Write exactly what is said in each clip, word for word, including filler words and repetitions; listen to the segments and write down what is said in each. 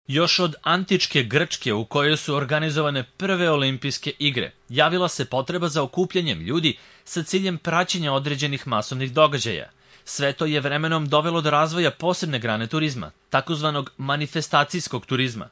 Još od antičke Grčke, u kojoj su organizovane prve olimpijske igre, javila se potreba za okupljanjem ljudi sa ciljem praćenja određenih masovnih događaja. Sve to je vremenom dovelo do razvoja posebne grane turizma, takozvanog manifestacijskog turizma.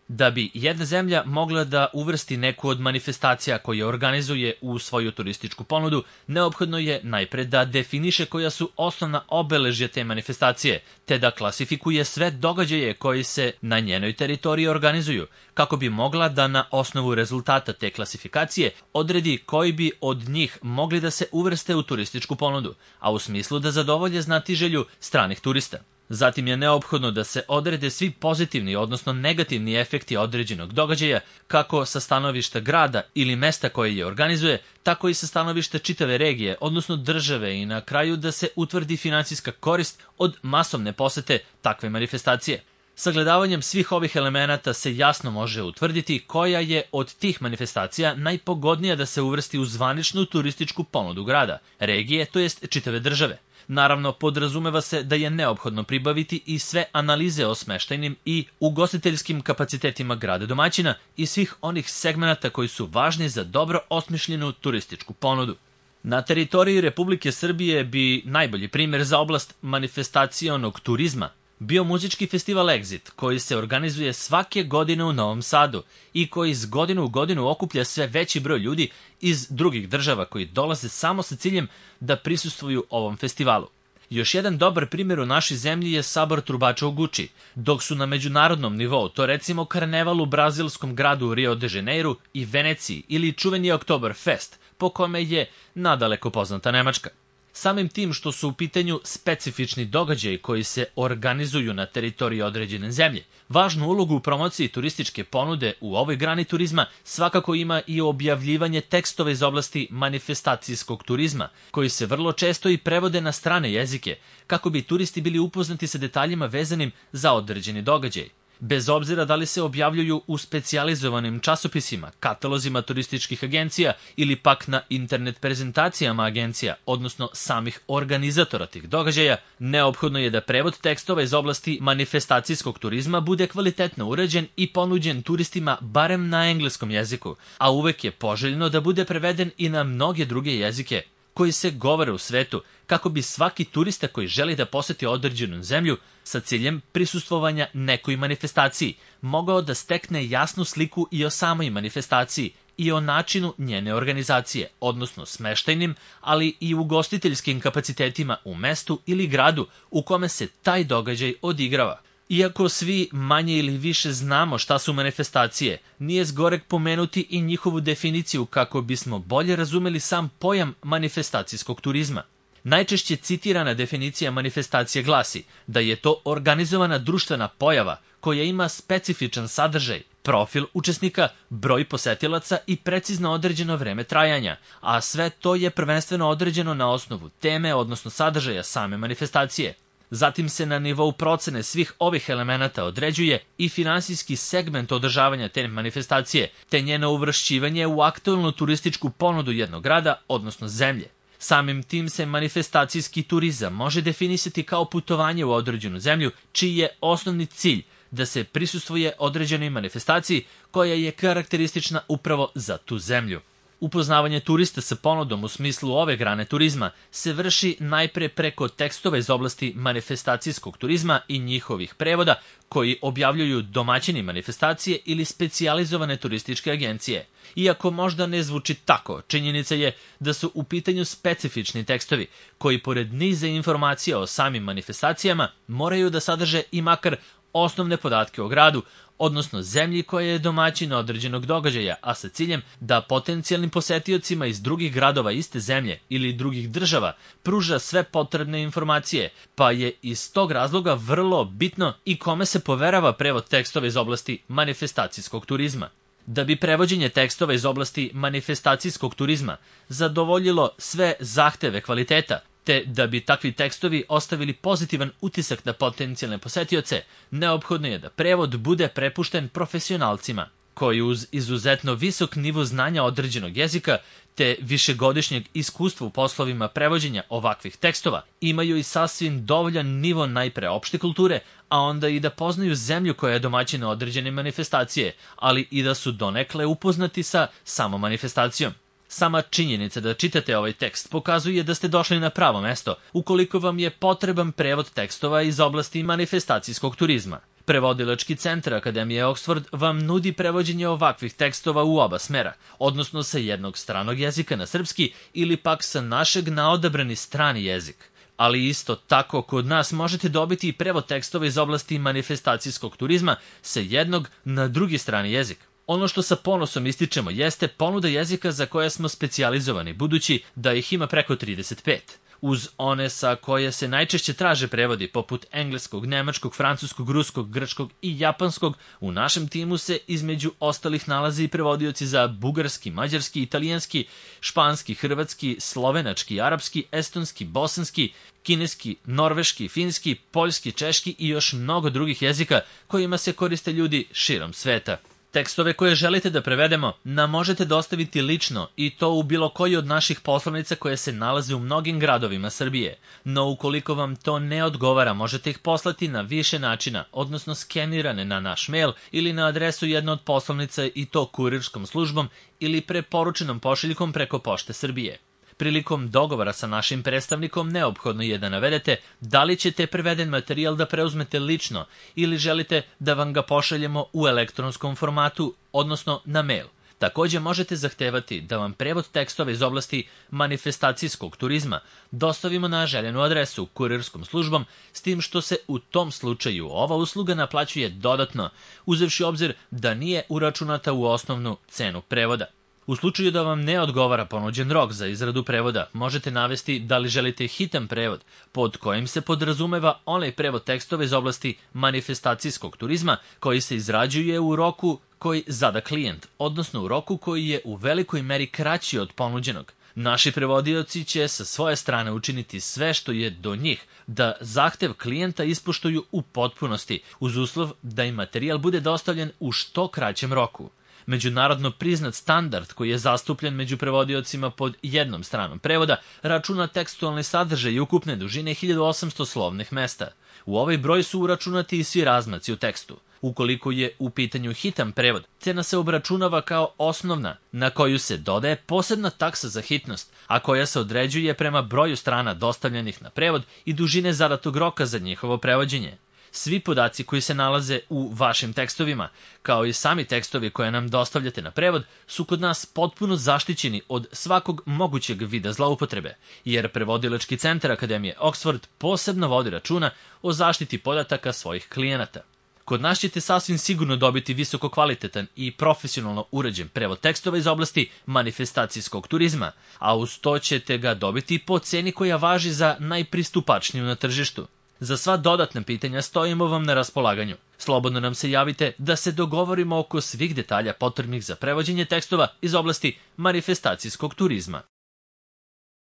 Da bi jedna zemlja mogla da uvrsti neku od manifestacija koje organizuje u svoju turističku ponudu, neophodno je najpre da definiše koja su osnovna obeležja te manifestacije, te da klasifikuje sve događaje koji se na njenoj teritoriji organizuju, kako bi mogla da na osnovu rezultata te klasifikacije odredi koji bi od njih mogli da se uvrste u turističku ponudu, a u smislu da zadovolje znatiželju stranih turista. Zatim je neophodno da se odrede svi pozitivni, odnosno negativni efekti određenog događaja, kako sa stanovišta grada ili mesta koje je organizuje, tako i sa stanovišta čitave regije, odnosno države, i na kraju da se utvrdi finansijska korist od masovne posete takve manifestacije. Sagledavanjem svih ovih elemenata se jasno može utvrditi koja je od tih manifestacija najpogodnija da se uvrsti u zvaničnu turističku ponudu grada, regije, to jest čitave države. Naravno, podrazumeva se da je neophodno pribaviti i sve analize o smeštajnim i ugostiteljskim kapacitetima grada domaćina i svih onih segmenata koji su važni za dobro osmišljenu turističku ponudu. Na teritoriji Republike Srbije bi najbolji primjer za oblast manifestacionog turizma bio muzički festival Exit, koji se organizuje svake godine u Novom Sadu i koji iz godinu u godinu okuplja sve veći broj ljudi iz drugih država koji dolaze samo sa ciljem da prisustvuju ovom festivalu. Još jedan dobar primjer u našoj zemlji je sabor trubača u Guči, dok su na međunarodnom nivou to recimo karneval u brazilskom gradu Rio de Janeiro i Veneciji ili čuveni Oktoberfest, po kome je nadaleko poznata Nemačka. Samim tim što su u pitanju specifični događaji koji se organizuju na teritoriji određene zemlje, važnu ulogu u promociji turističke ponude u ovoj grani turizma svakako ima i objavljivanje tekstova iz oblasti manifestacijskog turizma, koji se vrlo često i prevode na strane jezike, kako bi turisti bili upoznati sa detaljima vezanim za određeni događaj. Bez obzira da li se objavljuju u specijalizovanim časopisima, katalozima turističkih agencija ili pak na internet prezentacijama agencija, odnosno samih organizatora tih događaja, neophodno je da prevod tekstova iz oblasti manifestacijskog turizma bude kvalitetno uređen i ponuđen turistima barem na engleskom jeziku, a uvek je poželjno da bude preveden i na mnoge druge jezike koji se govore u svetu, kako bi svaki turista koji želi da poseti određenu zemlju sa ciljem prisustvovanja nekoj manifestaciji mogao da stekne jasnu sliku i o samoj manifestaciji i o načinu njene organizacije, odnosno smeštajnim, ali i ugostiteljskim kapacitetima u mestu ili gradu u kome se taj događaj odigrava. Iako svi manje ili više znamo šta su manifestacije, nije zgoreg pomenuti i njihovu definiciju kako bismo bolje razumeli sam pojam manifestacijskog turizma. Najčešće citirana definicija manifestacije glasi da je to organizovana društvena pojava koja ima specifičan sadržaj, profil učesnika, broj posetilaca i precizno određeno vreme trajanja, a sve to je prvenstveno određeno na osnovu teme, odnosno sadržaja same manifestacije. Zatim se na nivou procene svih ovih elemenata određuje i finansijski segment održavanja te manifestacije, te njeno uvršćivanje u aktualnu turističku ponudu jednog grada, odnosno zemlje. Samim tim se manifestacijski turizam može definisati kao putovanje u određenu zemlju, čiji je osnovni cilj da se prisustvuje određenoj manifestaciji koja je karakteristična upravo za tu zemlju. Upoznavanje turista sa ponudom u smislu ove grane turizma se vrši najpre preko tekstova iz oblasti manifestacijskog turizma i njihovih prevoda koji objavljuju domaćini manifestacije ili specijalizovane turističke agencije. Iako možda ne zvuči tako, činjenica je da su u pitanju specifični tekstovi koji pored niza informacija o samim manifestacijama moraju da sadrže i makar osnovne podatke o gradu, odnosno zemlji koja je domaćin određenog događaja, a sa ciljem da potencijalnim posetiocima iz drugih gradova iste zemlje ili drugih država pruža sve potrebne informacije, pa je iz tog razloga vrlo bitno i kome se poverava prevod tekstova iz oblasti manifestacijskog turizma. Da bi prevođenje tekstova iz oblasti manifestacijskog turizma zadovoljilo sve zahteve kvaliteta, te da bi takvi tekstovi ostavili pozitivan utisak na potencijalne posetioce, neophodno je da prevod bude prepušten profesionalcima. koji uz izuzetno visok nivo znanja određenog jezika te višegodišnjeg iskustva u poslovima prevođenja ovakvih tekstova imaju i sasvim dovoljan nivo najpre opšte kulture, a onda i da poznaju zemlju koja je domaćina određene manifestacije, ali i da su donekle upoznati sa samom manifestacijom. Sama činjenica da čitate ovaj tekst pokazuje da ste došli na pravo mesto ukoliko vam je potreban prevod tekstova iz oblasti manifestacijskog turizma. Prevodilački centar Akademije Oxford vam nudi prevođenje ovakvih tekstova u oba smera, odnosno sa jednog stranog jezika na srpski ili pak sa našeg na odabrani strani jezik. Ali isto tako kod nas možete dobiti i prevod tekstova iz oblasti manifestacijskog turizma sa jednog na drugi strani jezik. Ono što sa ponosom ističemo jeste ponuda jezika za koje smo specijalizovani, budući da ih ima preko trideset pet. Uz one sa koje se najčešće traže prevodi, poput engleskog, nemačkog, francuskog, ruskog, grčkog i japanskog, u našem timu se između ostalih nalaze i prevodioci za bugarski, mađarski, italijanski, španski, hrvatski, slovenački, arapski, estonski, bosanski, kineski, norveški, finski, poljski, češki i još mnogo drugih jezika kojima se koriste ljudi širom sveta. Tekstove koje želite da prevedemo nam možete dostaviti lično i to u bilo koji od naših poslovnica koje se nalaze u mnogim gradovima Srbije. No ukoliko vam to ne odgovara, možete ih poslati na više načina, odnosno skenirane na naš mail ili na adresu jedne od poslovnica i to kurirskom službom ili preporučenom pošiljkom preko Pošte Srbije. Prilikom dogovora sa našim predstavnikom neophodno je da navedete da li ćete preveden materijal da preuzmete lično ili želite da vam ga pošaljemo u elektronskom formatu, odnosno na mail. Takođe možete zahtevati da vam prevod tekstova iz oblasti manifestacijskog turizma dostavimo na željenu adresu kurirskom službom, s tim što se u tom slučaju ova usluga naplaćuje dodatno, uzevši obzir da nije uračunata u osnovnu cenu prevoda. U slučaju da vam ne odgovara ponuđen rok za izradu prevoda, možete navesti da li želite hitan prevod, pod kojim se podrazumeva onaj prevod tekstova iz oblasti manifestacijskog turizma koji se izrađuje u roku koji zada klijent, odnosno u roku koji je u velikoj meri kraći od ponuđenog. Naši prevodioci će sa svoje strane učiniti sve što je do njih da zahtev klijenta ispoštuju u potpunosti, uz uslov da im materijal bude dostavljen u što kraćem roku. Međunarodno priznat standard koji je zastupljen među prevodiocima pod jednom stranom prevoda računa tekstualni sadržaj i ukupne dužine hiljadu osamsto slovnih mesta. U ovaj broj su uračunati i svi razmaci u tekstu. Ukoliko je u pitanju hitan prevod, cena se obračunava kao osnovna, na koju se dodaje posebna taksa za hitnost, a koja se određuje prema broju strana dostavljenih na prevod i dužine zadatog roka za njihovo prevođenje. Svi podaci koji se nalaze u vašim tekstovima, kao i sami tekstovi koje nam dostavljate na prevod, su kod nas potpuno zaštićeni od svakog mogućeg vida zloupotrebe, jer Prevodilački centar Akademije Oxford posebno vodi računa o zaštiti podataka svojih klijenata. Kod nas ćete sasvim sigurno dobiti visoko kvalitetan i profesionalno urađen prevod tekstova iz oblasti manifestacijskog turizma, a uz to ćete ga dobiti po ceni koja važi za najpristupačniju na tržištu. Za sva dodatna pitanja stojimo vam na raspolaganju. Slobodno nam se javite da se dogovorimo oko svih detalja potrebnih za prevođenje tekstova iz oblasti manifestacijskog turizma.